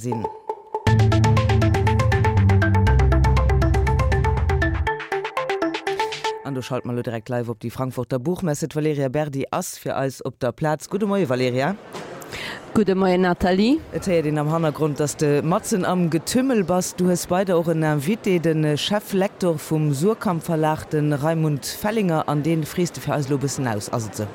Sinn. An do schalte mer elo direkt live op déi Frankfurter Buchmesse. D'Valerija Berdi ass fir eis op der Plaz. Gudde Moie Valerija. Gudde Moien Nathalie. Et héiert een am Hannergrond, dass de matzen am Getümmel bass. Du hues bei der och en Invité, de Cheflektor vum Suhrkamp Verlag, de Raimund Fellinger. An dee frees de fir eis elo e bëssen aus, ass et sou?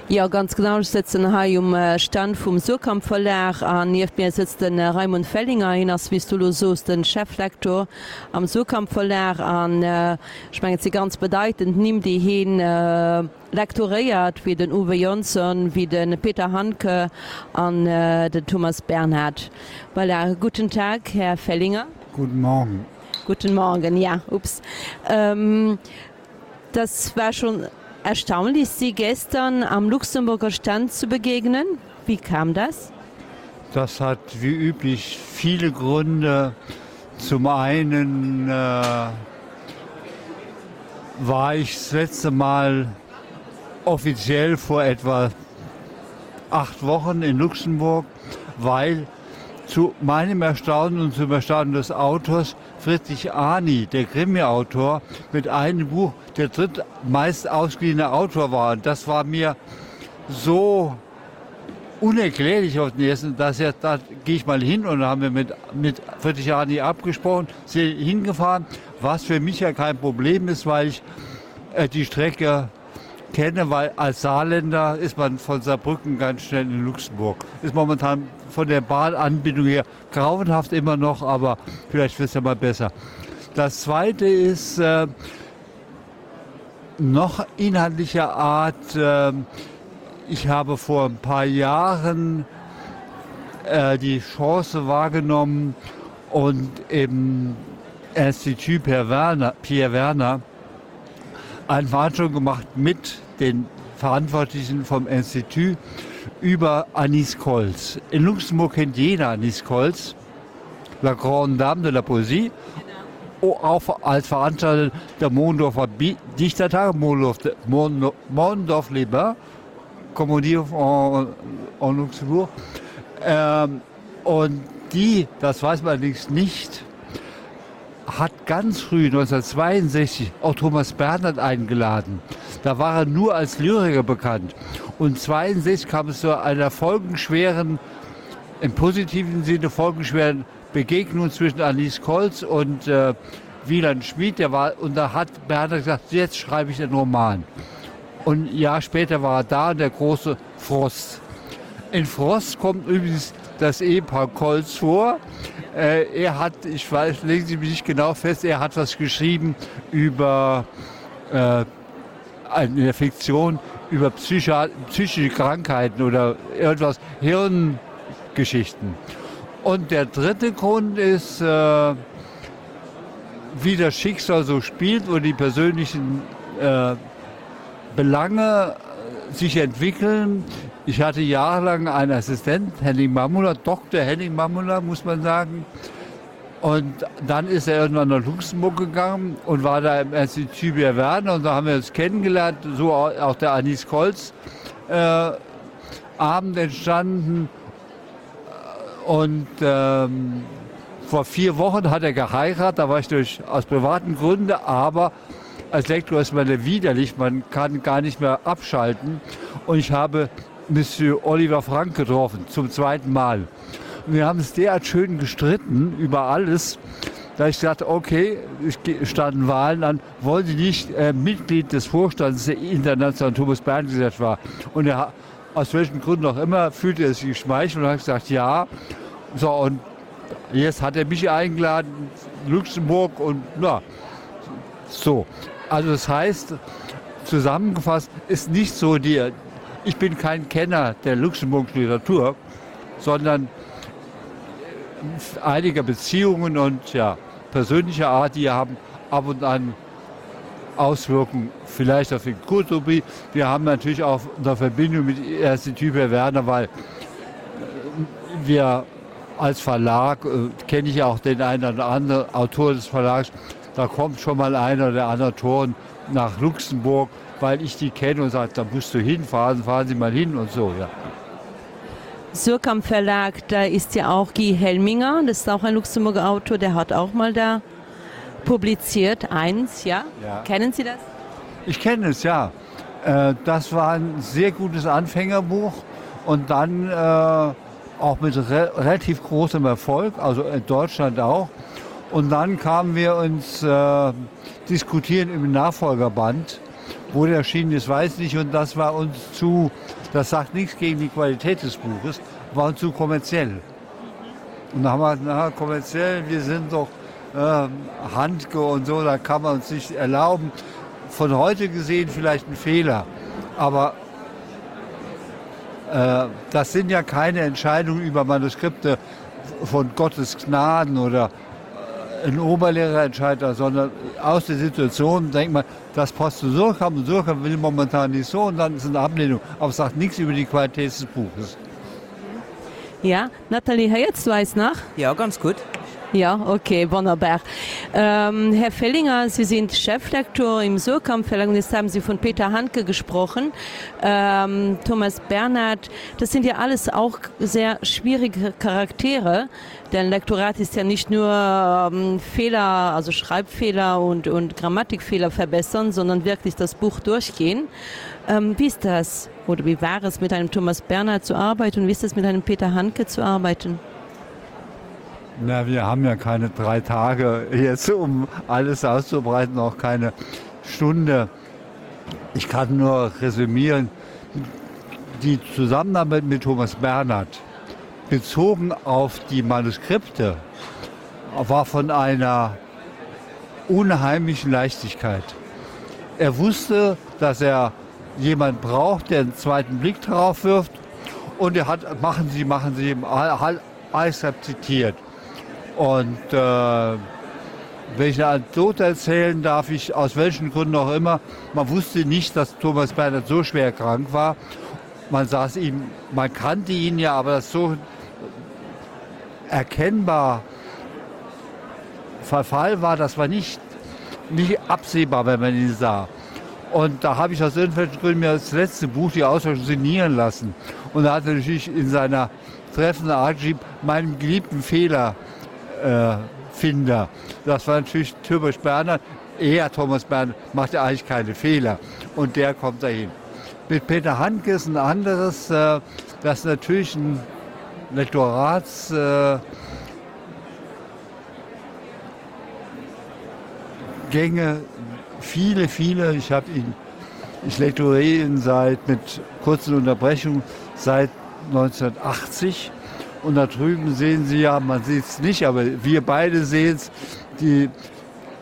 Jo, ganz genau. Ech sëtzen hei um Stand vum Suhrkamp Verlag an nieft mir sëtzt de Raimund Fellinger. Hien ass, wéi s du elo soos, de Cheflektor am Suhrkamp Verlag an ech mengen, et si ganz bedeitend Nimm, déi hien lektoréiert, wéi den Uwe Johnson, wéi de Peter Handke an den Thomas Bernhard. Voilà, guten Tag, Här Fellinger. Guten Morgen. Guten Morgen, ja, ups. Das war schon erstaunlich, Sie gestern am Luxemburger Stand zu begegnen. Wie kam das? Das hat wie üblich viele Gründe. Zum einen äh, war ich das letzte Mal offiziell vor etwa acht Wochen in Luxemburg, weil zu meinem Erstaunen und zum Erstaunen des Autors Friedrich Ani, der Krimiautor, mit einem Buch der drittmeist ausgeliehene Autor war. Und das war mir so unerklärlich auf den ersten, dass er, da gehe ich mal hin und da haben wir mit, mit Friedrich Ani abgesprochen, sind hingefahren, was für mich ja kein Problem ist, weil ich äh, die Strecke kenne, weil als Saarländer ist man von Saarbrücken ganz schnell in Luxemburg. Ist momentan von der Bahnanbindung her grauenhaft immer noch, aber vielleicht wird es ja mal besser. Das zweite ist äh, noch inhaltlicher Art. Äh, ich habe vor ein paar Jahren äh, die Chance wahrgenommen und im Institut Pierre Werner, Pierre Werner eine Veranstaltung gemacht mit den Verantwortlichen vom Institut über Anis Kolz. In Luxemburg kennt jeder Anis Kolz, la grande Dame de la Poesie, auch als Veranstalter der Mondorfer Dichtertag, Mondorf, Mondorf les Bains, comme on dit en, en Luxembourg. Ähm, und die, das weiß man allerdings nicht, hat ganz früh 1962 auch Thomas Bernhard eingeladen. Da war er nur als Lyriker bekannt. Und 62 kam es zu einer folgenschweren, im positiven Sinne folgenschweren Begegnung zwischen Alice Kolz und äh, Wieland Schmid. Der war, und da hat Bernhard gesagt, jetzt schreibe ich einen Roman. Und ein Jahr später war er da und der große Frost. In Frost kommt übrigens das Ehepaar Kolz vor. Äh, er hat, ich weiß, legen Sie mich nicht genau fest, er hat was geschrieben über äh, eine Fiktion über Psycho psychische Krankheiten oder irgendwas, Hirngeschichten. Und der dritte Grund ist, äh, wie das Schicksal so spielt und die persönlichen äh, Belange sich entwickeln. Ich hatte jahrelang einen Assistent, Henning Mamula, Dr. Henning Mamula, muss man sagen. Und dann ist er irgendwann nach Luxemburg gegangen und war da im Institut Werner und da haben wir uns kennengelernt, so auch der Anis Kolz äh, Abend entstanden. Und ähm, vor vier Wochen hat er geheiratet, da war ich durch aus privaten Gründen, aber als Lektor ist man widerlich, man kann gar nicht mehr abschalten. Und ich habe Monsieur Oliver Frank getroffen zum zweiten Mal. Und wir haben es derart schön gestritten über alles, da ich sagte, okay, es standen Wahlen an, wollen Sie nicht äh, Mitglied des Vorstands der Internationalen Thomas Bern Gesellschaft war. Und er, aus welchen Gründen auch immer, fühlte er sich geschmeichelt und hat gesagt, ja. So, und jetzt hat er mich eingeladen, Luxemburg und na, so. Also das heißt, zusammengefasst ist nicht so die, ich bin kein Kenner der luxemburgischen Literatur, sondern einiger Beziehungen und ja, persönlicher Art, die haben ab und an Auswirkungen vielleicht auf den Kulturbetrieb. Wir haben natürlich auch eine Verbindung mit ersten Typ Werner, weil äh, wir als Verlag äh, kenne ich auch den einen oder anderen Autor des Verlags. Da kommt schon mal einer der anderen Autoren nach Luxemburg, weil ich die kenne und sage, da musst du hinfahren, fahren Sie mal hin und so. Ja. Surkamp Verlag, da ist ja auch Guy Helminger, das ist auch ein Luxemburger Autor, der hat auch mal da publiziert eins ja? ja. Kennen Sie das? Ich kenne es ja. Äh, das war ein sehr gutes Anfängerbuch und dann äh, auch mit re relativ großem Erfolg, also in Deutschland auch. Und dann kamen wir uns äh, diskutieren im Nachfolgerband, wo der erschienen ist, weiß nicht und das war uns zu, das sagt nichts gegen die Qualität des Buches, war uns zu kommerziell. Und da haben wir na, kommerziell, wir sind doch äh, Handke und so, da kann man uns nicht erlauben. Von heute gesehen vielleicht ein Fehler, aber äh, das sind ja keine Entscheidungen über Manuskripte von Gottes Gnaden oder äh, ein Oberlehrer entscheidet, sondern aus der Situation denkt man, das passt zu Surkamp und Surkamp will momentan nicht so und dann ist eine Ablehnung. Aber es sagt nichts über die Qualität des Buches. Ja, Nathalie héiers du eis nach? Ja, ganz gutt. Ja, okay, wonnerbar. Ähm, Herr Fellinger, Sie sind Cheflektor im Surkamp-Verlag und jetzt haben Sie von Peter Handke gesprochen, ähm, Thomas Bernhard. Das sind ja alles auch sehr schwierige Charaktere, denn Lektorat ist ja nicht nur ähm, Fehler, also Schreibfehler und, und Grammatikfehler verbessern, sondern wirklich das Buch durchgehen. Ähm, wie ist das? Oder wie war es, mit einem Thomas Bernhard zu arbeiten und wie ist es, mit einem Peter Handke zu arbeiten? Na, wir haben ja keine drei Tage jetzt, um alles auszubreiten, auch keine Stunde. Ich kann nur resümieren, die Zusammenarbeit mit Thomas Bernhard bezogen auf die Manuskripte war von einer unheimlichen Leichtigkeit. Er wusste, dass er jemand braucht, der einen zweiten Blick darauf wirft und er hat machen Sie, machen Sie alles zitiert. Und äh, wenn ich eine Anekdote erzählen darf, ich aus welchen Gründen auch immer, man wusste nicht, dass Thomas Bernhard so schwer krank war. Man saß ihm, man kannte ihn ja, aber das so erkennbar Verfall war, das war nicht, nicht absehbar, wenn man ihn sah. Und da habe ich aus irgendwelchen Gründen mir das letzte Buch die Auswahl signieren lassen. Und da hat er natürlich in seiner treffenden Art geschrieben, meinem geliebten Fehler äh, Finder. Das war natürlich Thomas Berner. Er, Thomas Berner, macht ja eigentlich keine Fehler. Und der kommt dahin. Mit Peter Handke ist ein anderes, äh, das natürlich ein Lektorats äh, Gänge, viele, viele. Ich habe ihn, ich lektoriere ihn seit mit kurzen Unterbrechungen seit 1980. Und da drüben sehen Sie ja, man sieht es nicht, aber wir beide sehen es, die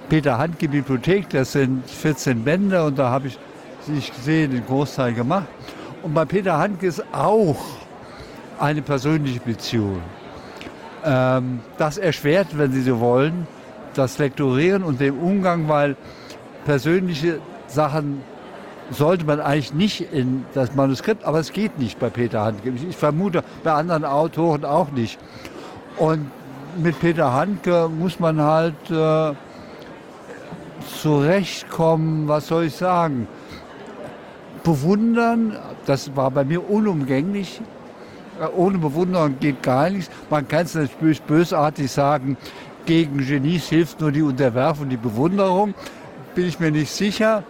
Peter Handke Bibliothek, das sind 14 Bände und da habe ich, wie ich sehe, den Großteil gemacht. Und bei Peter Handke ist auch eine persönliche Beziehung. Ähm, das erschwert, wenn Sie so wollen, das Lektorieren und den Umgang, weil persönliche Sachen sollte man eigentlich nicht in das Manuskript, aber es geht nicht bei Peter Handke. Ich vermute bei anderen Autoren auch nicht. Und mit Peter Handke muss man halt äh, zurechtkommen, was soll ich sagen? Bewundern, das war bei mir unumgänglich. Äh, ohne Bewunderung geht gar nichts. Man kann es natürlich bösartig sagen, gegen Genies hilft nur die Unterwerfung, die Bewunderung. Bin ich mir nicht sicher.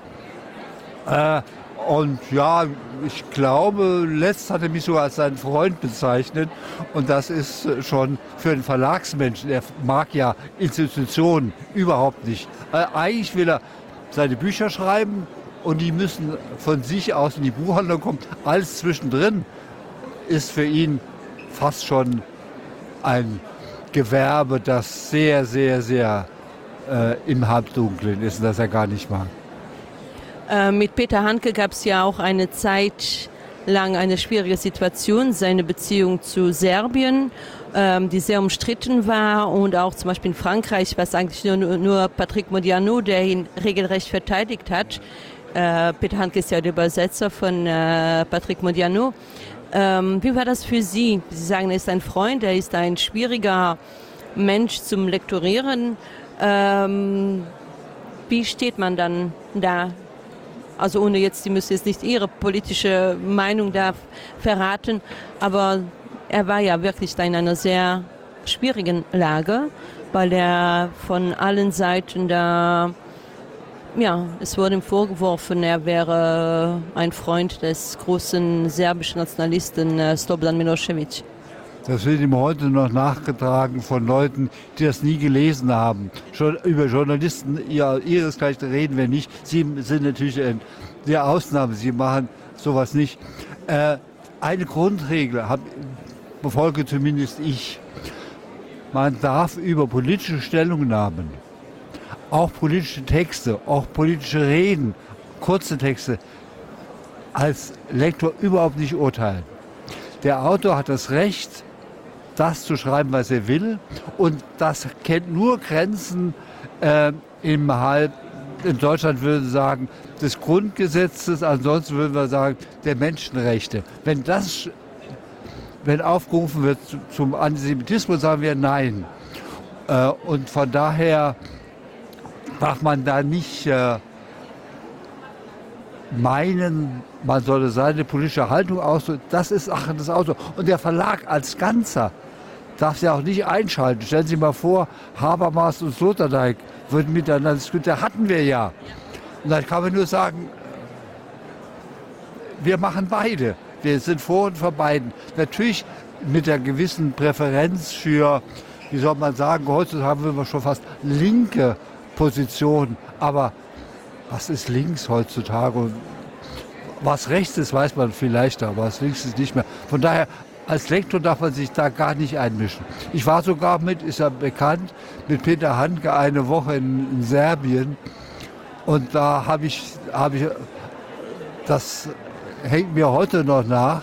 Äh, und ja, ich glaube, letzt hat er mich sogar als seinen Freund bezeichnet. Und das ist schon für einen Verlagsmenschen. Er mag ja Institutionen überhaupt nicht. Äh, eigentlich will er seine Bücher schreiben und die müssen von sich aus in die Buchhandlung kommen. Alles zwischendrin ist für ihn fast schon ein Gewerbe, das sehr, sehr, sehr äh, im Halbdunklen ist und das er gar nicht mag. Äh, mit Peter Handke gab es ja auch eine Zeit lang eine schwierige Situation, seine Beziehung zu Serbien, ähm, die sehr umstritten war und auch zum Beispiel in Frankreich, was eigentlich nur, nur Patrick Modiano, der ihn regelrecht verteidigt hat. Äh, Peter Handke ist ja der Übersetzer von äh, Patrick Modiano. Ähm, wie war das für Sie? Sie sagen, er ist ein Freund, er ist ein schwieriger Mensch zum Lektorieren. Ähm, wie steht man dann da? Also ohne jetzt, Sie müssen jetzt nicht Ihre politische Meinung da verraten, aber. Er war ja wirklich da in einer sehr schwierigen Lage, weil er von allen Seiten da ja, es wurde ihm vorgeworfen, er wäre ein Freund des großen serbischen Nationalisten äh, Slobodan Milosevic. Das wird ihm heute noch nachgetragen von Leuten, die das nie gelesen haben. Schon über Journalisten ja, ihresgleichen reden wir nicht. Sie sind natürlich in der Ausnahme, sie machen sowas nicht. Äh, eine Grundregel hab, befolge zumindest ich. Man darf über politische Stellungnahmen, auch politische Texte, auch politische Reden, kurze Texte als Lektor überhaupt nicht urteilen. Der Autor hat das Recht, das zu schreiben, was er will und das kennt nur Grenzen äh, im Halb in Deutschland würden sagen des Grundgesetzes, ansonsten würden wir sagen der Menschenrechte. Wenn das wenn aufgerufen wird zum Antisemitismus, sagen wir nein. Äh, und von daher darf man da nicht äh, meinen, man solle seine politische Haltung ausdrücken. Das ist Sache des Autors. Und der Verlag als Ganzer darf sie auch nicht einschalten. Stellen Sie mal vor, Habermas und Sloterdijk würden miteinander diskutieren. Hatten wir ja. Und dann kann man nur sagen, wir machen beide. Wir sind vor und vor beiden. Natürlich mit der gewissen Präferenz für, wie soll man sagen, heutzutage haben wir schon fast linke Positionen. Aber was ist links heutzutage? Und was rechts ist, weiß man vielleicht, aber was links ist nicht mehr. Von daher, als Lektor darf man sich da gar nicht einmischen. Ich war sogar mit, ist ja bekannt, mit Peter Handke eine Woche in, in Serbien. Und da habe ich, habe ich, das hängt mir heute noch nach.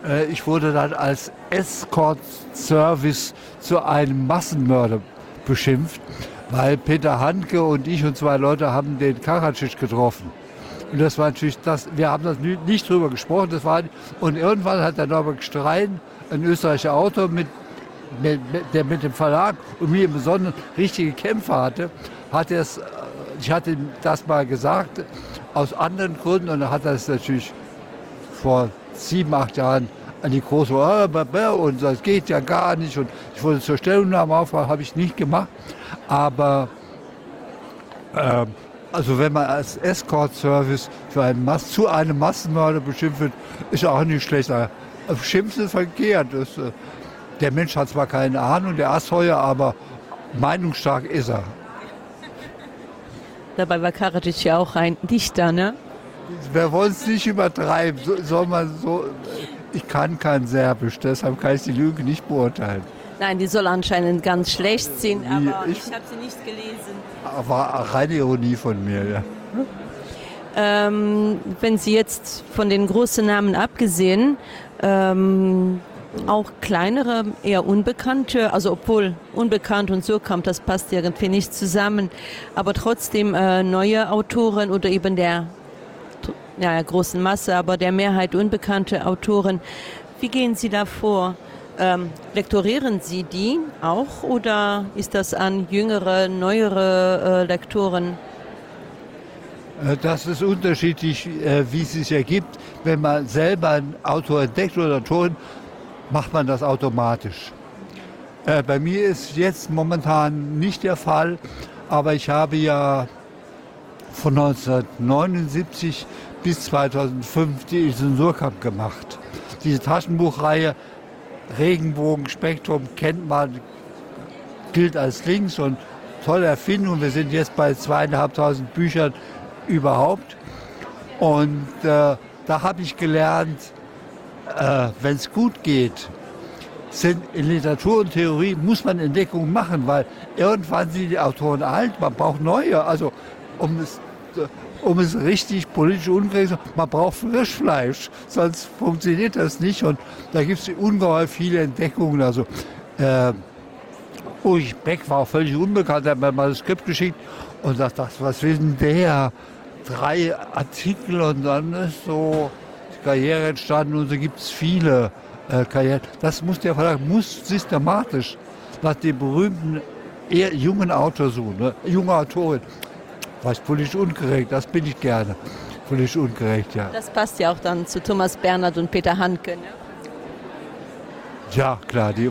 Äh, ich wurde dann als Escort-Service zu einem Massenmörder beschimpft, weil Peter Handke und ich und zwei Leute haben den Karadzic getroffen. Und das war natürlich das, wir haben das nicht drüber gesprochen, das war, und irgendwann hat der Norbert Strein, ein österreichischer Autor, mit, mit, der mit dem Verlag und mir im Besonderen richtige Kämpfe hatte, hat es, äh, ich hatte ihm das mal gesagt, aus anderen Gründen, und er hat das natürlich vor sieben, acht Jahren an die große äh, und das geht ja gar nicht und ich wurde zur Stellungnahme auffahren, habe ich nicht gemacht. Aber äh, also wenn man als Escort-Service für einen Mass zu einem Massenmörder beschimpft wird, ist auch nicht schlecht. Schimpfen ist verkehrt. Das, äh, der Mensch hat zwar keine Ahnung, der Assheuer, aber meinungsstark ist er. Dabei war Karadzic ja auch ein Dichter, ne? Wir wollen es nicht übertreiben. So, soll man so, ich kann kein Serbisch, deshalb kann ich die Lüge nicht beurteilen. Nein, die soll anscheinend ganz schlecht sein, aber ich, ich habe sie nicht gelesen. War reine Ironie von mir, ja. Ähm, wenn Sie jetzt von den großen Namen abgesehen, ähm, auch kleinere, eher unbekannte, also obwohl unbekannt und so kommt, das passt irgendwie nicht zusammen, aber trotzdem äh, neue Autoren oder eben der ja, großen Masse, aber der Mehrheit unbekannte Autoren. Wie gehen Sie da vor? Ähm, lektorieren Sie die auch oder ist das an jüngere, neuere äh, Lektoren? Äh, das ist unterschiedlich, äh, wie es sich ergibt. Wenn man selber ein Autor entdeckt oder Autorin, macht man das automatisch. Äh, bei mir ist jetzt momentan nicht der Fall, aber ich habe ja von 1979 bis 2005 die Zensurkamp gemacht. Diese Taschenbuchreihe Regenbogenspektrum kennt man, gilt als links und tolle Erfindung. Wir sind jetzt bei zweieinhalbtausend Büchern überhaupt. Und äh, da habe ich gelernt, äh, wenn es gut geht, sind in Literatur und Theorie muss man Entdeckungen machen, weil irgendwann sind die Autoren alt, man braucht neue. Also um es, um es richtig politisch ungerecht man braucht Frischfleisch, sonst funktioniert das nicht. Und da gibt es ungeheuer viele Entdeckungen. Also äh, Ulrich Beck war auch völlig unbekannt, er hat mir mal das Skript geschickt und sagt, das, was will denn der? Drei Artikel und dann ist so die Karriere entstanden und so gibt es viele äh, Karrieren. Das muss der Verlag muss systematisch nach dem berühmten eher jungen Autor suchen, ne? junge Autorin. Was politisch ungerecht, das bin ich gerne. Politisch ungerecht, ja. Das passt ja auch dann zu Thomas Bernhard und Peter Handke. Ne? Ja klar die, äh,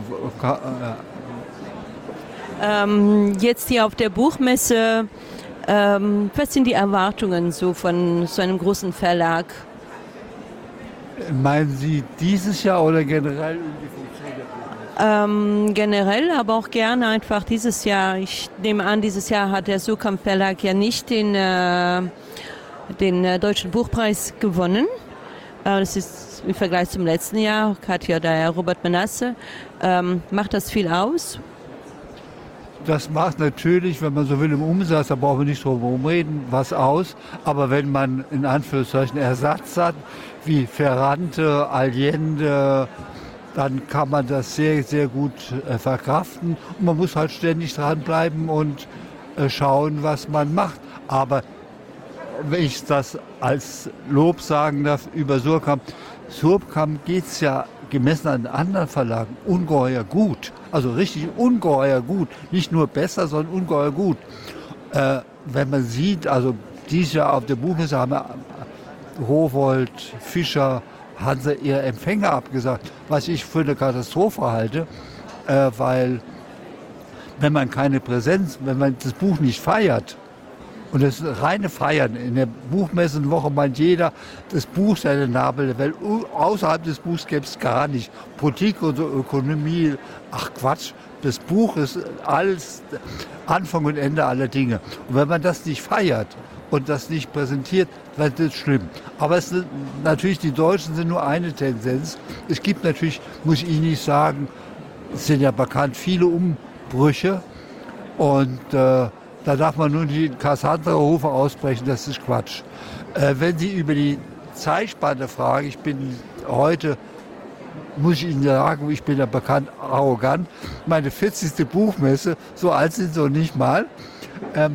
ähm, jetzt hier auf der Buchmesse ähm, was sind die Erwartungen so von so einem großen Verlag? Meinen Sie dieses Jahr oder generell um die Ähm, generell, aber auch gerne einfach dieses Jahr. Ich nehme an, dieses Jahr hat der Sukamp Verlag ja nicht den, äh, den äh, deutschen Buchpreis gewonnen. Äh, das ist im Vergleich zum letzten Jahr Katja der Robert Menasse. Ähm, macht das viel aus? Das macht natürlich, wenn man so will im Umsatz, da brauchen wir nicht drum herum reden, was aus. Aber wenn man in Anführungszeichen Ersatz hat, wie Ferrante, Allende, dann kann man das sehr, sehr gut äh, verkraften. Und man muss halt ständig dranbleiben und äh, schauen, was man macht. Aber wenn ich das als Lob sagen darf über Surkamp, Surkamp geht es ja gemessen an anderen Verlagen ungeheuer gut. Also richtig ungeheuer gut. Nicht nur besser, sondern ungeheuer gut. Äh, wenn man sieht, also dieses Jahr auf der Buchmesse haben wir Rowold, Fischer, haben sie ihre Empfänger abgesagt, was ich für eine Katastrophe halte, äh, weil wenn man keine Präsenz, wenn man das Buch nicht feiert, und das reine Feiern in der Buchmessenwoche meint jeder, das Buch sei der Nabel der Welt. Außerhalb des Buchs gäbe es gar nicht. Politik und so Ökonomie, ach Quatsch, das Buch ist alles Anfang und Ende aller Dinge. Und wenn man das nicht feiert und das nicht präsentiert, dann ist das schlimm. Aber es sind, natürlich, die Deutschen sind nur eine Tendenz. Es gibt natürlich, muss ich nicht sagen, es sind ja bekannt viele Umbrüche und äh, da darf man nun die Cassandra-Rufe ausbrechen, das ist Quatsch. Äh, wenn Sie über die Zeitspanne fragen, ich bin heute, muss ich Ihnen sagen, ich bin ja bekannt arrogant, meine 40. Buchmesse, so alt sind sie nicht mal. Äh,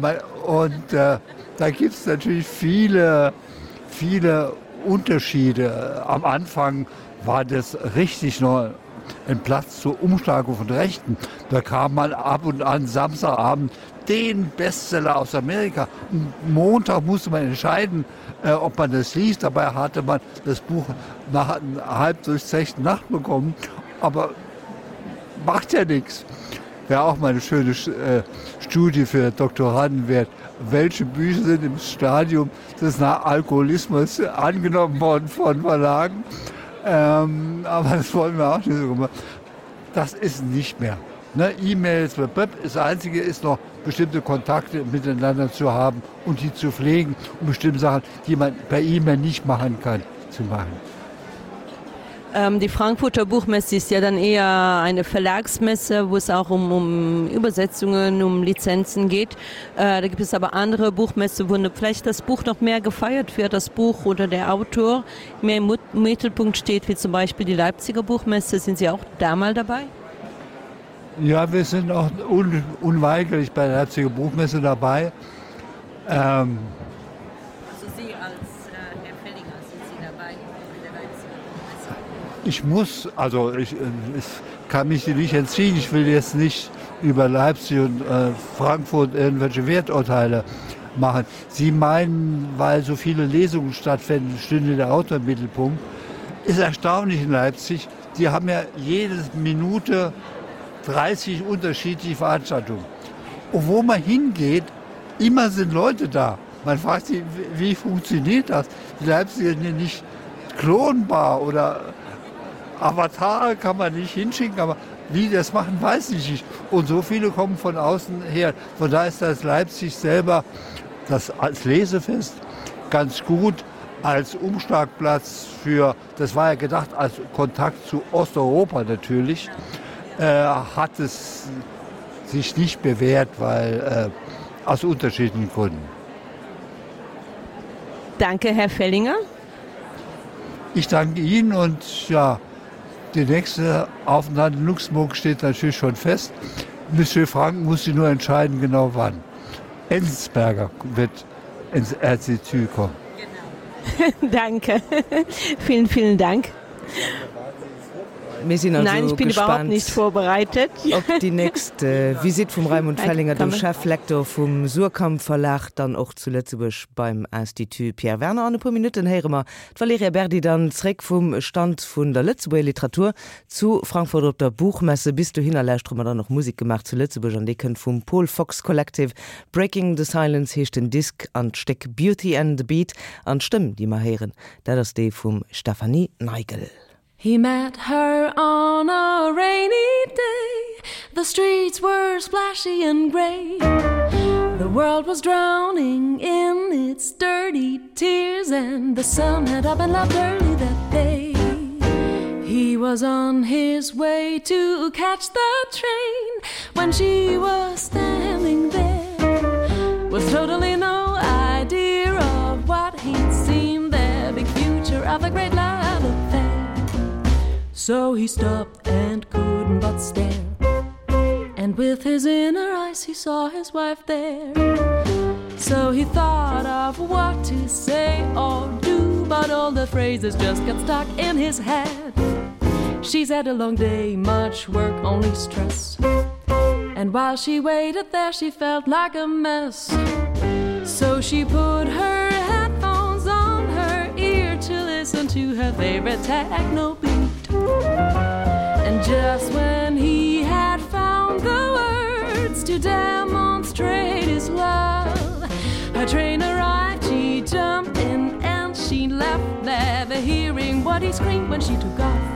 und äh, da gibt es natürlich viele, viele Unterschiede. Am Anfang war das richtig noch ein Platz zur Umschlagung von Rechten. Da kam man ab und an Samstagabend den Bestseller aus Amerika. Montag musste man entscheiden, äh, ob man das liest. Dabei hatte man das Buch nach halb durchzechten Nacht bekommen. Aber macht ja nichts. Wäre auch mal eine schöne äh, Studie für Doktoranden wert. Welche Bücher sind im Stadium des Alkoholismus angenommen worden von Verlagen? Ähm, aber das wollen wir auch nicht so gemacht. Das ist nicht mehr. Ne, E-Mails, das Einzige ist noch, bestimmte Kontakte miteinander zu haben und die zu pflegen und bestimmte Sachen, die man per E-Mail nicht machen kann, zu machen. Ähm, die Frankfurter Buchmesse ist ja dann eher eine Verlagsmesse, wo es auch um, um Übersetzungen, um Lizenzen geht. Äh, da gibt es aber andere Buchmesse, wo vielleicht das Buch noch mehr gefeiert wird, das Buch oder der Autor mehr im Mittelpunkt steht, wie zum Beispiel die Leipziger Buchmesse. Sind Sie auch da mal dabei? Ja, wir sind auch un unweigerlich bei der Leipziger Buchmesse dabei. Ähm, also Sie als äh, Herr Fellinger, sind Sie dabei bei der Leipziger Buchmesse? Ich muss, also ich, äh, ich kann mich nicht entziehen. Ich will jetzt nicht über Leipzig und äh, Frankfurt irgendwelche Werturteile machen. Sie meinen, weil so viele Lesungen stattfinden, stünde der Autor im Mittelpunkt. Ist erstaunlich in Leipzig. Die haben ja jede Minute 30 unterschiedliche Veranstaltungen. Und wo man hingeht, immer sind Leute da. Man fragt sich, wie funktioniert das? Die Leipziger sind nicht klonbar oder Avatare kann man nicht hinschicken, aber wie die das machen, weiß ich nicht. Und so viele kommen von außen her. Von daher ist das Leipzig selber das als Lesefest ganz gut als Umschlagplatz für, das war ja gedacht als Kontakt zu Osteuropa natürlich, äh, hat es sich nicht bewährt, weil äh, aus unterschiedlichen Gründen. Danke, Herr Fellinger. Ich danke Ihnen und ja, der nächste Aufenthalt in Luxemburg steht natürlich schon fest. Monsieur Frank muss sich nur entscheiden, genau wann. Enzensberger wird ins RCTÜ kommen. Genau. Danke. vielen, vielen Dank. Mir sinn also Nein, ich bin überhaupt gespaant nicht vorbereitet. op déi nächst Visitt vum Raimund Fellinger, dem Cheflektor vum Suhrkamp Verlag, dann och zu Lëtzebuerg beim Institut Pierre Werner. An e puer Minutten héiere mer d'Valerija Berdi dann zréck vum Stand vun der Lëtzebuerger Literatur zu Frankfurt op der Buchmesse. Bis dohinner lauschtere mer dann och Musek gemaach zu Lëtzebuerg an déi kënnt vum Paul Fox Collective. Breaking the Silence heescht den Disk an d'Stéck Beauty and the Beat an d'Stëmm déi mer héieren, dat ass déi vum Stefanie Neigel. He met her on a rainy day The streets were splashy and grey The world was drowning in its dirty tears and the sun had up and left early that day He was on his way to catch the train when she was standing there with totally no idea of what he'd seen there big future of a great love affair So he stopped and couldn't but stare and with his inner eyes he saw his wife there So he thought of what to say or do but all the phrases just got stuck in his head She's had a long day much work only stress and while she waited there she felt like a mess So she put her headphones on her ear to listen to her favorite techno beat And just when he had found the words to demonstrate his love her train arrived she jumped in and she left never hearing what he screamed when she took off.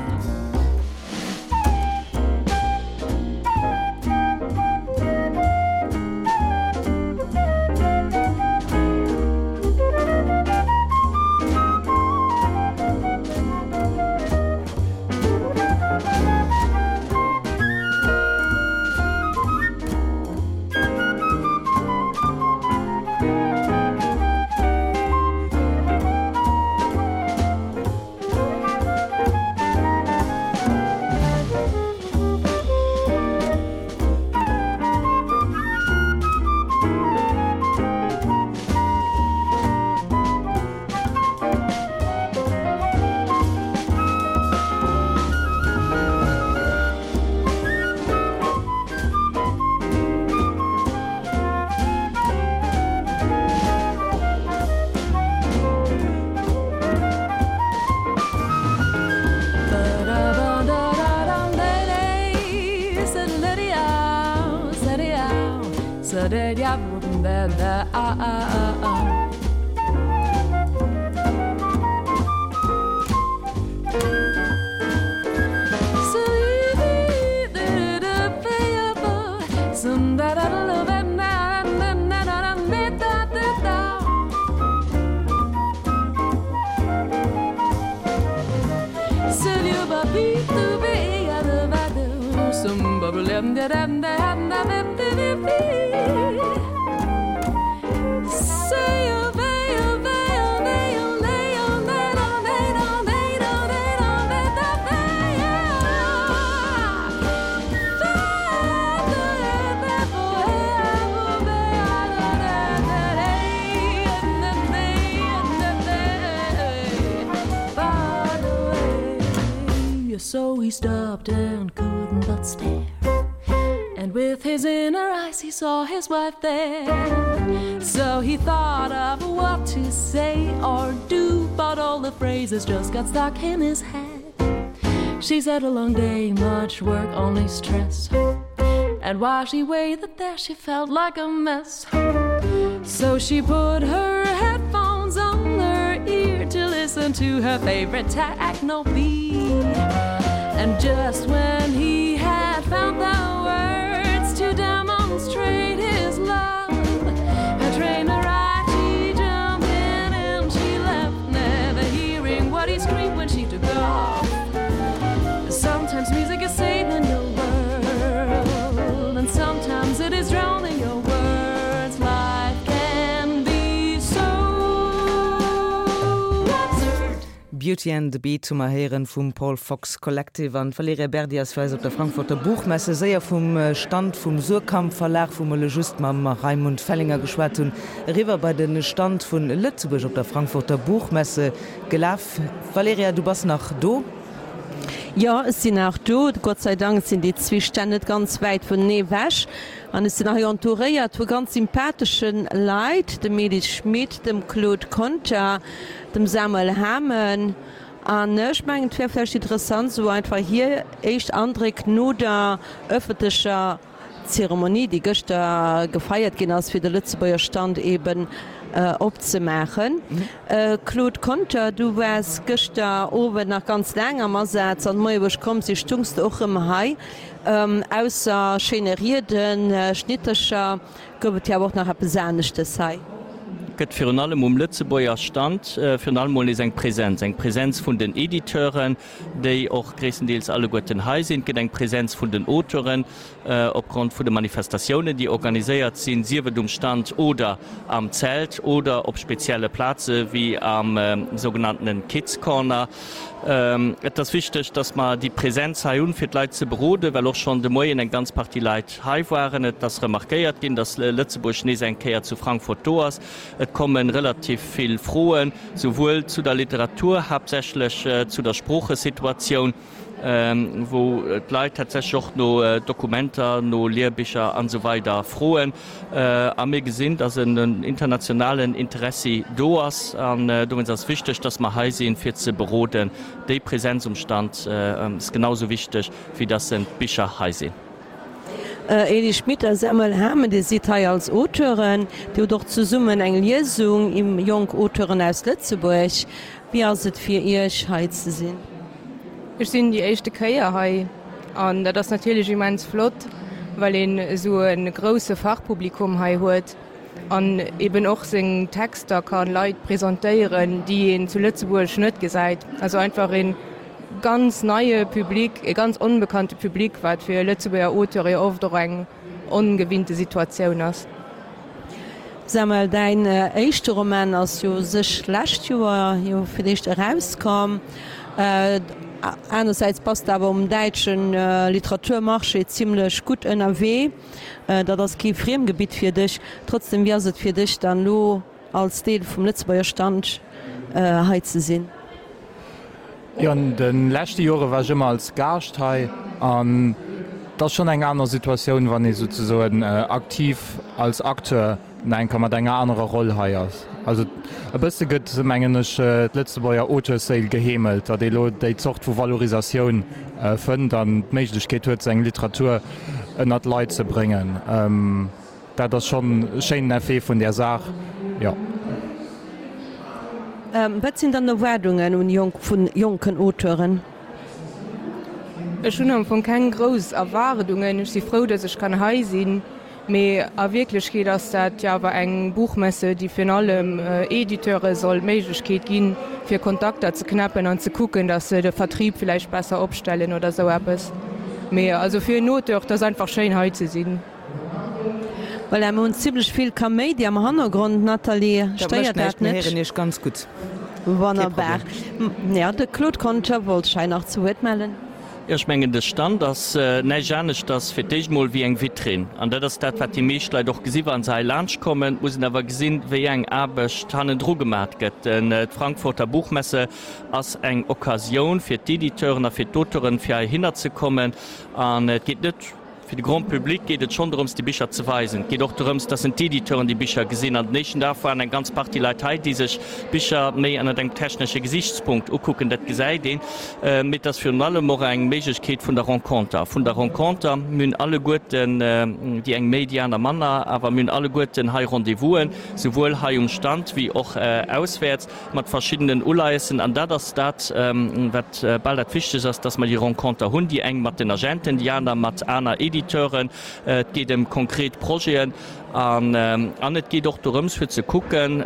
So he stopped and couldn't but stare And with his inner eyes he saw his wife there So he thought of what to say or do But all the phrases just got stuck in his head She's had a long day, much work, only stress And while she waited there she felt like a mess So she put her headphones on her ear To listen to her favorite techno beat And just when he had found the words to demonstrate his love Her train arrived, she jumped in and she left Never hearing what he screamed when she took off Sometimes music is saving your world And sometimes it is drowning your words Life can be so absurd Beauty and the Beat hu mer héieren vum Paul Fox Collective an d'Valerija Berdi ass fir eis op der Frankfurter Buchmesse séier vum Stand vum Suhrkamp Verlag, wou mer elo just mam Raimund Fellinger geschwat hunn, eriwwer bei de Stand vun Lëtzebuerg op der Frankfurter Buchmesse gelaf. Valerija, du bass nach do? Jo, ech sinn nach do. Gott sei Dank sinn déi zwee Stänn net ganz wäit vunenee ewech. An ech sinn hei entouréiert vu ganz sympathesche Leit, dem Elis Schmit, dem Claude Conter, dem Samuel Hamen. An ech mengen, et wär vläicht interessant, esou einfach hir éischt Andréck no der ëffentlecher Zeremonie, déi gëschter gefeiert ginn ass, fir de Lëtzebuerger Stand eben opzemaachen. Claude Conter, du waars gëschter Owend nach ganz laang am Asaz an de Moie wou ech komm si stungs de och rëm hei. Ausser schéine Rieden, Schnittercher, gouf et jo awer och nach eppes aneschtes hei. Gëtt virun allem um Lëtzebuerger Stand virun allem mol nees eng Präsenz, eng Präsenz vun den Editeuren, déi och gréisstendeels alleguerten hei sinn. Et gëtt eng Präsenz vun den Auteuren opgrond vun de Manifestatiounen, déi organiséiert sinn, sief et um Stand oder am Zelt oder op spezielle Plaze wéi am sougenanntene Kids Corner. Et ass wichteg, dass mer déi Präsenz hei hunn, fir d'Leit ze beroden, well och schonn de Moien eng ganz Partie Leit hei waren. Et ass remarquéiert ginn, dass Lëtzebuerg nees eng Kéier zu Frankfurt do ass. Et komme relativ vill Froen, souwuel zu der Literatur, haaptsächlech zu der Sproochesituatioun, wou d'Leit tatsächlech och no Dokumenter, no Lehrbicher an esou weider froen. A mir gesinn, dass en internationalen Interessi do ass. An dowéinst ass et wichteg, dass mer hei sinn, fir ze beroden. Déi Präsenz um Stand ass genau esou wichteg, wéi dass d'Bicher hei sinn. Elie Schmit a Samuel Hamen, Dir sidd hei als Auteuren. Dir hutt och zesummen eng Liesung iwwer jonk Auteuren aus Lëtzebuerg. Wéi ass et fir Iech, hei ze sinn? Ech sinn déi éischte Kéier hei an dat ass natierlech immens flott, well een esou e grousse Fachpublikum hei huet an eben och seng Texter ka Leit presentéieren, déi een zu Lëtzebuerg net gesäit. Also einfach e ganz neie Public, e ganz onbekannte Public, wat fir Lëtzebuerger Auteure jo oft och eng ongewinnte Situatioun ass. Samuel, däin éischte Roman ass jo u sech lescht Joer jo fir d'éischt erauskomm. Anersäits bass de awer um däitsche Literaturmarché zimlech gutt ënnerwee. Dat ass kee Friemgebitt fir dech. Trotzdem, wéi ass et fir dech dann elo als Deel vum Lëtzebuerger Stand hei ze sinn? Jo, an de leschte Jore war ech ëmmer als Gaascht hei an et ass schonn eng aner Situatioun, wann ee souzesoen aktiv als Acteur nach eng Kéier mat enger anerer Roll hei ass. Also e bësse gëtt, mengen ech, d'Lëtzebuerger Auteursséil geheemelt, datt ee lo déi Zort vu Valorisatioun fënnt an d'Méiglechkeet huet, seng Literatur ënnert d'Leit ze bréngen. Dat ass schonn e schéinen Effet vun där Saach, jo. Wat sinn dann Erwaardungen un jonk vun jonken Auteuren? Ech hunn am Fong keng grouss Erwaardungen. Ech si frou, datt ech kann hei sinn. Mee a Wierklechkeet ass dat jo awer eng Buchmesse, déi virun allem Editeure soll d'Méiglechkeet ginn, fir Kontakter ze knäppen an ze kucken, datt se de Vertrieb villäicht besser opstellen oder esou eppes. Mee also fir en Auteur, et ass einfach schéin hei ze sinn. Voilà, mir hunn zimlech vill Kaméidi am Hannergrond. Nathalie, stéiert dat net? Mir héieren Iech ganz gutt. Wonnerbar. Ja, de Claude Conter wollt sech hei nach zu Wuert mellen. Jo, ech mengen, de Stand ass näischt aneschters fir d'éischt emol wéi eng Vitrinn. An dat ass dat, wat déi meescht Leit och gesi wa se hei laanschtkommen. Et muss een awer gesinn, wéi eng Aarbecht hannendru gemat gëtt. D'Frankfurter Buchmesse ass eng Occasioun fir d'Editeuren a fir d'Auteuren, fir heihinner ze kommen. An et geet net. Fir de Grand public geet et schonn dorëms, déi Bicher ze weisen. Et geet och dorëms, dass en d'Editeuren déi Bicher gesinn. An den éischten Dag waren eng ganz Partie Leit hei, déi sech d'Bicher méi ënnert engem technesche Gesichtspunkt ukucken. Dat gesäit een. Mee et ass virun allem och eng Méiglechkeet vun der Renconter. Vun der Renconter. Mir hunn alleguerten, déi eng méi, déi aner manner, awer mir hunn alleguerten hei Rendez-vousen, souwuel hei um Stand wéi och auswäerts. mat verschiddenen Uleiessen, an dat ass dat, wat bal dat Wichtegst ass, dass mer déi Renconter hunn, déi eng mat den Agenten, déi aner mat aner Editeuren. Et geet ëm konkret Projeten an an et geet och dorëms, fir ze kucken,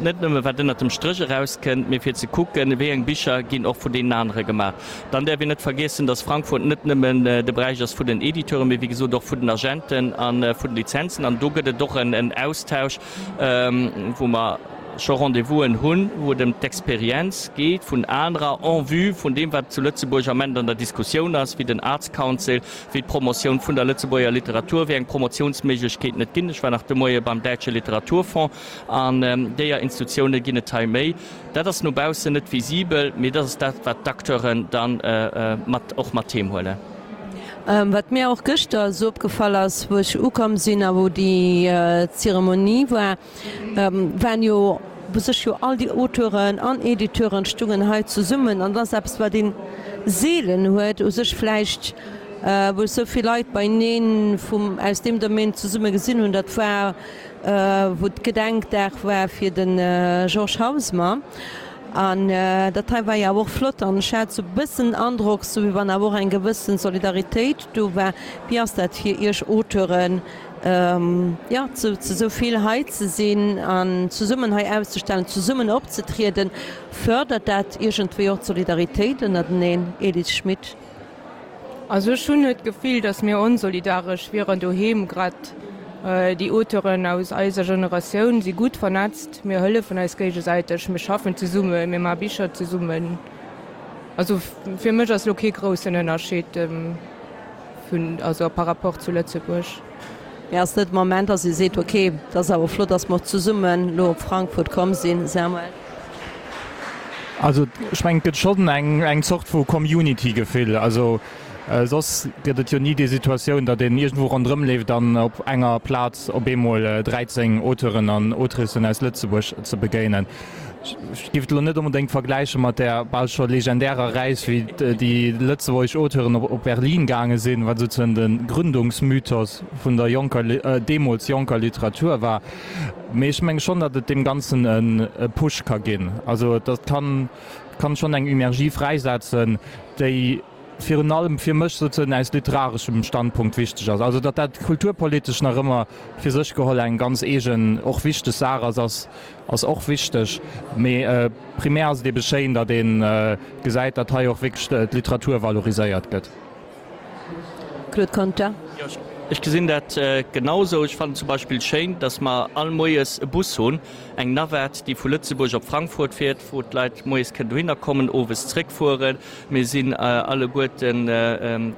net nëmme wat ënnert dem Stréch erauskënnt, mee fir ze kucken, wéi eng Bicher ginn och vun deenen anere gemaach. Dann däerf een net vergiessen, dass Frankfurt net nëmmen de Beräich ass vun den Editeuren, mee wéi gesot och vun den Agenten a vun den Lizenzen. An do gëtt et och en Austausch, wou mer. scho Rendez-vousen hunn, wou et ëm d'Experienz geet vun anerer en vue vun deem, wat zu Lëtzebuerg am Ament an der Diskussioun ass, wéi den Arts Council, wéi d'Promotioun vun der Lëtzebuerger Literatur, wéi eng Promotiounsméiglechkeeten et ginn. Ech war nach de Moie beim Däitsche Literaturfonds an deeër Institutioune ginn et hei méi. Dat ass no baussen net visibel, mee dat ass dat, wat d'Acteuren dann mat och mat heem huelen. Wat mir och gëschter esou opgefall ass, wou ech ukomm sinn a wou déi Zeremonie war, waren jo u sech jo all déi Auteuren an Editeuren stungen hei zesummen. An dat ass eppes, wat ee seelen huet u sech vläicht, wou ech esou vill Leit beieneen vum, aus deem Domaine zesumme gesinn hunn. Dat war, wou Gedenkdag war fir de Georges Hausmer. An dat hei war jo awer och flott an ech hat sou bëssen den Androck, sou wéi wann awer och eng gewëssen Solidaritéit do war. Wéi ass dat fir Iech Auteuren, jo, zu sou vill hei ze sinn an zesummen hei auszestellen, zesummen opzetrieden? Fërdert dat iergendwéi och d'Solidaritéit ënnerteneen? Edith Schmit. Also ech hunn net d'Gefill, datt mir onsolidaresch wieren doheem. Grad déi Auteuren aus eiser Generatioun si gutt vernetzt. Mir hëllefen eis géigesäiteg, mir schaffen zesummen, mir maache Bicher zesummen. Also fir mech ass elo kee groussen Ënnerscheed vun, also par rapport zu Lëtzebuerg. Mee ass net de Moment, datt ee seet, ok, et ass awer flott, datt mer och zesummen elo op Frankfurt komm sinn, Samuel? Also ech mengen, et gëtt schonn eng Zort vu Community-Gefill. Also soss gëtt et jo ni déi Situatioun, datt een iergendwou ronderëm leeft an op enger Plaz op eemol 13 Auteuren an Autricen aus Lëtzebuerg ze begéinen. Ech géif et elo net onbedéngt vergläiche mat där bal scho legendärer Reis, wéi déi lëtzebuergesch Auteuren op Berlin gaange sinn, wat souzesoen de Gründungsmythos vun der jonker, deemools jonker Literatur war. Mee ech menge schonn, datt et deem Ganzen e Push ka ginn. Also dat kann schonn eng Energie fräisetzen, déi virun allem fir mech souzesoen aus literareschem Standpunkt wichteg ass. Also datt dat kulturpolitesch nach ëmmer fir sech geholl eng ganz eegen, och wichteg Saach ass, ass ass och wichteg. Mee primär ass et ebe schéin, datt ee gesäit, datt hei och wierklech d'Literatur valoriséiert gëtt. Claude Conter. Jo, ech gesinn dat genau esou. Ech fannen zum Beispill schéin, datt mer all moies e Bus hunn, eng Navette, déi vu Lëtzebuerg op Frankfurt fiert, wou d'Leit moies kënnen dohinner kommen, owes zréckfueren. Mir sinn alleguerten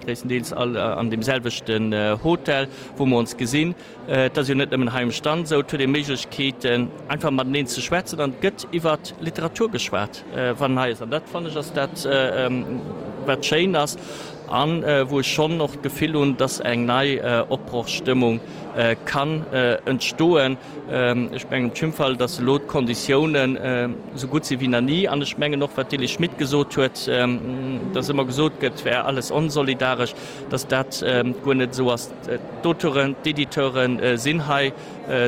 gréisstendeels all an deem selwechten Hotel, wou mer ons gesinn. Et ass jo net nëmmen hei um Stand esou, et huet ee Méiglechkeeten, einfach mateneen ze schwätzen an et gëtt iwwer Literatur geschwat, wann en hei ass. An dat, fannen ech, ass dat, wat schéin ass a wou ech schonn och d'Gefill hunn, dass eng nei Opbrochstëmmung kann entstoen. Ech mengen op jidde Fall, dass elo d'Konditiounen esou gutt si wéi nach ni. An ech mengen och, wat d'Dilly Schmit gesot huet, dass ëmmer gesot gëtt, et wär alles onsolidaresch, dass dat guer net esou ass. D'Auteuren, d'Editeure sinn hei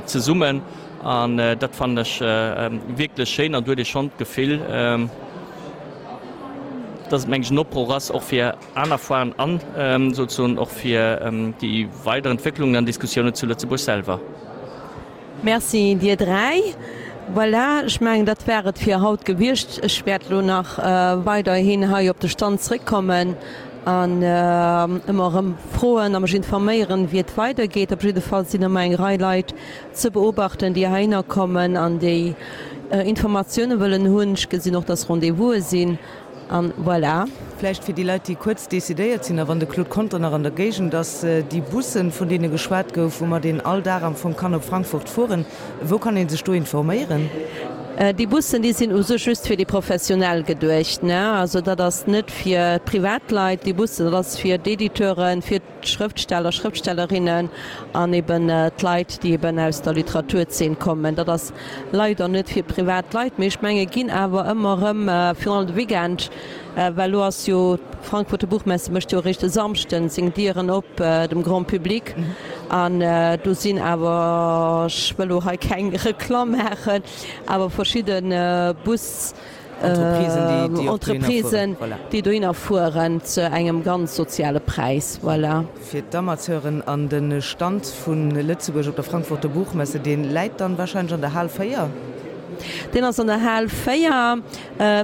zesummen an dat fannen ech wierklech schéin an do huet ee schonn d'Gefill, dass et meng ech en Opbroch ass och fir aner Foiren an souzesoen och fir déi weider Entwécklungen an Diskussiounen zu Lëtzebuerg selwer. Merci dir 3. Voilà, ech mengen dat war et fir haut gewiescht. Ech wäert elo nach weiderhin hei op de Stand zréckkommen an ëmmer erëm froen a mech informéieren, wéi et weidergeet. Op jidde Fall sinn ëmmer eng Rei Leit ze beobachten, déi heihinner kommen an déi Informatioune wëllen hunn. Ech gesinn och, dass Rendez-vouse sinn. An voilà. Vläicht fir déi Leit, déi kuerz decidéiert sinn, a wann de Claude Conter nach an der Géigend ass, déi Bussen, vun deene geschwat gouf, woumat een all Dag am Fong kann op Frankfurt fueren, wou kann ee sech do informéieren? Déi Bussen, déi sinn u sech just fir déi Professionell geduecht, ne? Also dat ass net fir d'Privatleit, déi Bussen, dat ass fir d'Editeuren, fir. D'Schrëftsteller, Schrëftstellerinnen an eben d'Leit, déi eben aus der Literaturzeen kommen. Dat ass leider net fir privat Leit, mee ech menge ginn awer ëmmer erëm, virun allem de Weekend, well elo ass jo d'Frankfurter Buchmesse mécht jo eréischt e Samschden seng Dieren op dem Grand Public an do sinn awer, ech wëll elo hei keng Reklamm maachen, awer verschidde Bus. Entreprisen, déi dohinner fueren, zu engem ganz soziale Präis. Voilà. Fir d'Amateuren an de Stand vu Lëtzebuerg op der Frankfurter Buchmesse, dee läit dann wahrscheinlech an der Hal 4? Deen ass an der Hal 4,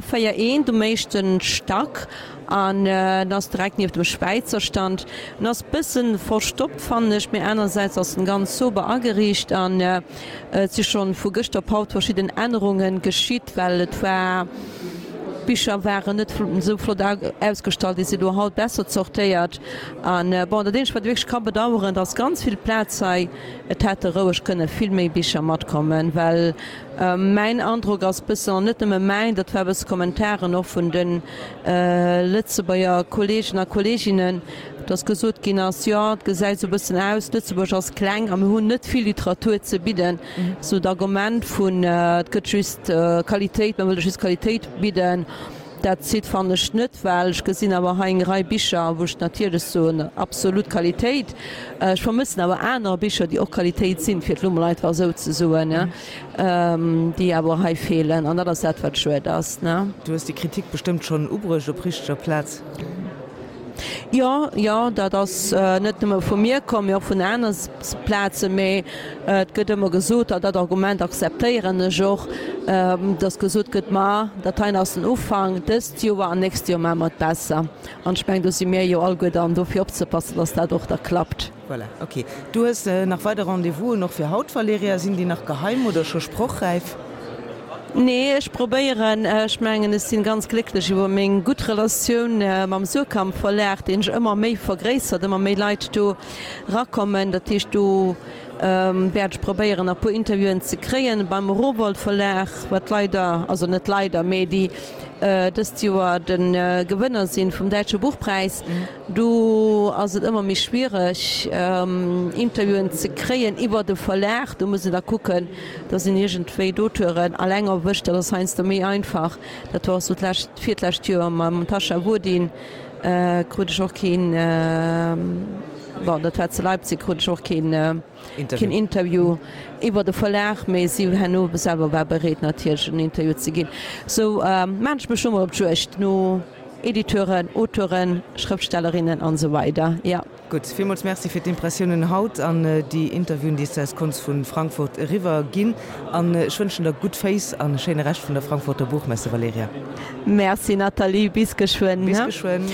4 eent, um éischte Stack. An en ass direkt nieft dem Schwäizer Stand. En ass bëssen verstoppt fannen ech, mee anerersäits ass en ganz sober ageriicht an et si schonn vu gëschter op haut verschidden Ännerungen geschitt, well et war, d'Bicher waren net esou flott ausgestallt, déi si lo haut besser zortéiert. An bon, dat eenzegt wat ee wierklech ka bedaueren, et ass ganz vill Plaz hei, et hätte roueg kënne vill méi Bicher matkommen, well Mäin Androck ass bëssen, an net nëmme mäin, dat war bësse Kommentaren och vun de Lëtzebuerger Kolleegen a Kolleeginnen, dass gesot ginn ass, jo, et gesäit esou bëssen aus, Lëtzebuerg ass kleng a mir hunn net vill Literatur ze bidden. Esou d'Argument vun, et gëtt just Qualitéit, mir wëlle just Qualitéit bidden. Dat zitt fannen ech net, well ech gesinn awer hei eng Rei Bicher, wou ech natierlech soen, absolut Qualitéit. Ech vermëssen awer aner Bicher, déi och Qualitéit sinn, fir et elo mol einfach esou ze soen, déi awer hei feelen. An dat ass dat, wat schued ass. Du hues déi Kritik bestëmmt schonn ubruecht op richteger Plaz. Jo, jo, dat ass net nëmme vu mir komm, mee och vun aner Plazen. Mee et gëtt ëmmer gesot, an dat Argument akzeptéieren ech och, datt gesot gëtt, Ma dat heien ass den Ufank, dëst Joer an nächst Joer maache mer et besser. An ech mengen, do si mir jo alleguer dann do fir opzepassen, datt dat och da klappt. Voilà, ok. Du hues nach weider Rendez-vousen och fir haut, Valerija. Sinn déi nach geheim oder scho sprochräif? Nee, ech probéieren. Ech mengen, ech sinn ganz glécklech iwwer meng gutt Relatioun mam Suhrkamp Verlag, deen sech ëmmer méi vergréissert, ëmmer méi Leit do rakommen. Dat heescht, do wäert ech probéieren, nach e puer Interviewen ze kréien. Beim Rowohlt Verlag, wat leider, also net leider, mee déi dëst Joer de Gewënner sinn vum Däitsche Buchpräis, Do ass et ëmmer méi schwiereg, Interviewen ze kréien iwwer de Verlag. Do muss een da kucken, dass een iergendwéi d'Auteuren alleng erwëscht. Dat ass heiansdo méi einfach. Dat war och sou d'lescht, virtlescht Joer mam Tascha Wodin krut ech och keen, bon, dat war zu Leipzig, krut ech och keen, keen Interview iwwer de Verlag, mee si herno selwer war bereet natierlech en Interview ze ginn. Sou maan ech mech lo mol op d'Juegd no Editeuren, Auteuren, Schrëftstellerinnen an esou weider, jo. Gutt, villmools Merci fir d'Impressiounen haut an déi Interviewen, déi s de eis konns vu Frankfurt eriwwer ginn. An ech wënschen der gutt Féiss an e schéine Rescht vun der Frankfurter Buchmesse, Valerija. Merci Nathalie, bis geschwënn. Bis geschwënn.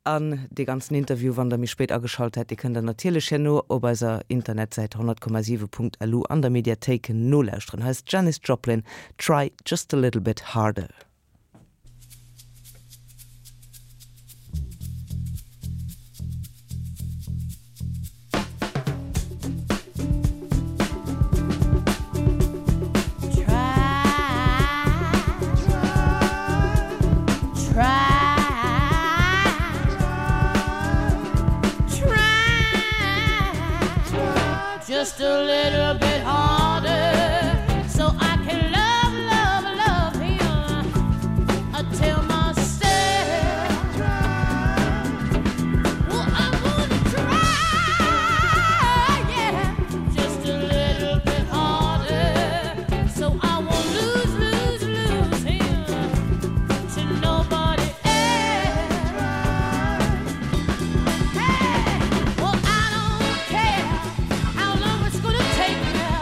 An dee ganzen Interview, wann der méi spéit ageschalt hätt, dee kënnt der natierlech herno op eiser Internetsäit 100,7.lu an der Mediathéik nolauschteren. Hei ass d'Janis Joplin, Try just a little bit harder. Just a little bit harder so I can love love love him I tell myself well I'm gonna try yeah just a little bit harder so I won't lose lose lose him to nobody else hey well I don't care how long it's gonna take me.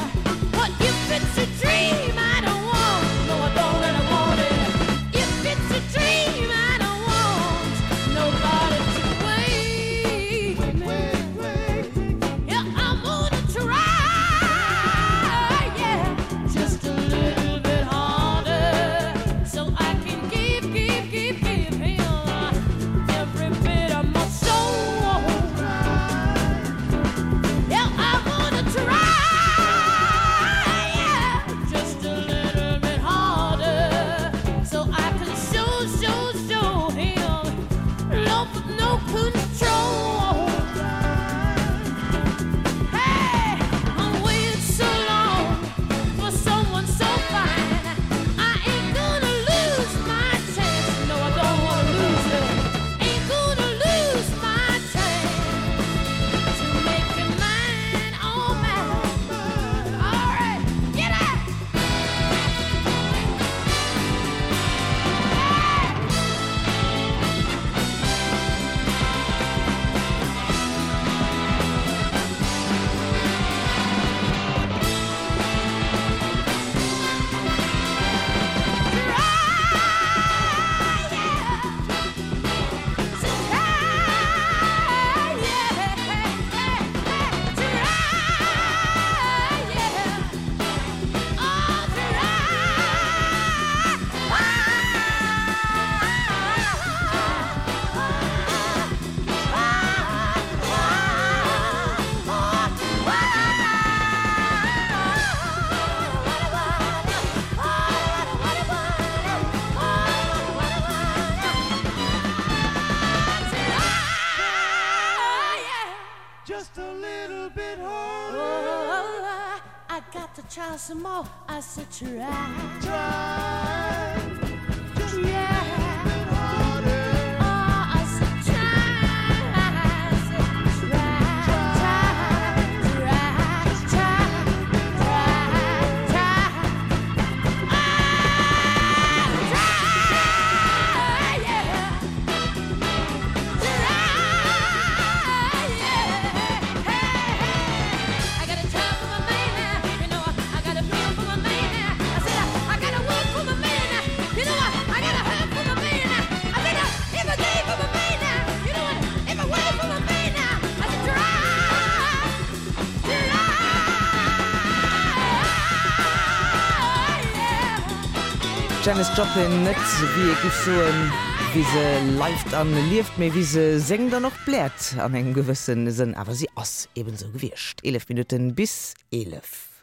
Just a little bit harder. Oh, I got to try some more. I said try. Try. Just yeah. a little bit harder. Oh, I said try. I said try. Try. Try. Try. Try. Try. Ah, try. Yeah. D'Janis Joplin net wéi ee giff soen, wéi se leift an lieft, mee wéi se séngt an och bläert an engem gewësse Sënn. Awer si ass eben esou gewiescht. 11 Minutten bis 11.